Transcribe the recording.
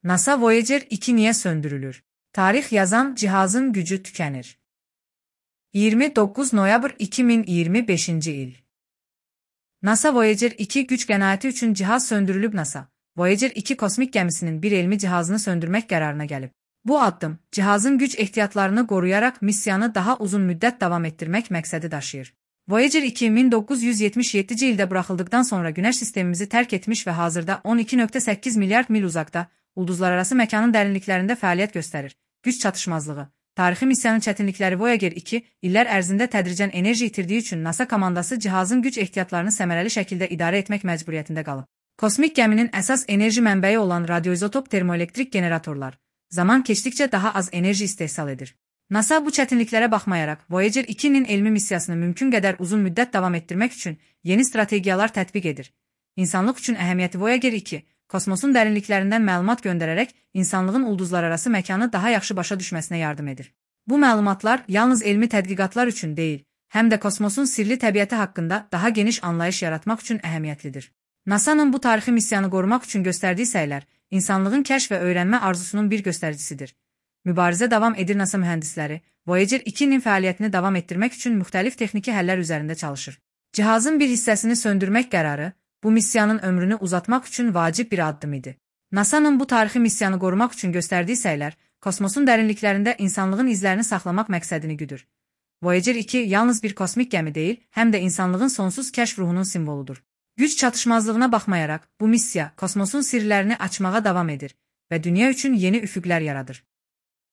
NASA Voyager 2 niye söndürülür? Tarih yazan cihazın gücü tükenir. 29 noyabr 2025 il. NASA Voyager 2 güç qənaəti üçün cihaz söndürülüb. NASA Voyager 2 kosmik gəmisinin bir elmi cihazını söndürmək qərarına gəlib. Bu addım, cihazın güc ehtiyatlarını qoruyarak missiyanı daha uzun müddət davam etdirmək məqsədi daşıyır. Voyager 2 1977-ci ildə buraxıldıqdan sonra Günəş sistemimizi tərk etmiş və hazırda 12,8 milyard mil uzaqda, ulduzlararası məkanın dərinliklərində fəaliyyət göstərir. Güc çatışmazlığı. Tarixi missiyanın çətinlikləri. Voyager 2 illər ərzində tədricən enerji itirdiyi üçün NASA komandası cihazın güc ehtiyatlarını səmərəli şəkildə idarə etmək məcburiyyətində qalıb. Kosmik gəminin əsas enerji mənbəyi olan radioizotop termoelektrik generatorlar zaman keçdikcə daha az enerji istehsal edir. NASA bu çətinliklərə baxmayaraq Voyager 2-nin elmi missiyasını mümkün qədər uzun müddət davam etdirmək üçün yeni strategiyalar tətbiq edir. İnsanlıq üçün əhəmiyyəti. Voyager 2 kosmosun dərinliklərindən məlumat göndərərək insanlığın ulduzlararası məkanı daha yaxşı başa düşməsinə yardım edir. Bu məlumatlar yalnız elmi tədqiqatlar üçün deyil, həm də kosmosun sirli təbiəti haqqında daha geniş anlayış yaratmaq üçün əhəmiyyətlidir. NASA'nın bu tarixi missiyanı qorumaq üçün göstərdiyi səylər, insanlığın kəşf və öyrənmə arzusunun bir göstəricisidir. Mübarizə davam edir. NASA mühəndisləri Voyager 2-nin fəaliyyətini davam etdirmək üçün müxtəlif texniki həllər üzərində çalışır. Cihazın bir hissəsini söndürmək qərarı, bu missiyanın ömrünü uzatmaq üçün vacib bir addım idi. NASA'nın bu tarixi missiyanı qorumaq üçün göstərdiyi səylər, kosmosun dərinliklərində insanlığın izlərini saxlamaq məqsədini güdür. Voyager 2 yalnız bir kosmik gəmi deyil, həm də insanlığın sonsuz kəşf ruhunun simvoludur. Güc çatışmazlığına baxmayaraq, bu missiya kosmosun sirlərini açmağa davam edir və dünya üçün yeni üfüqlər yaradır.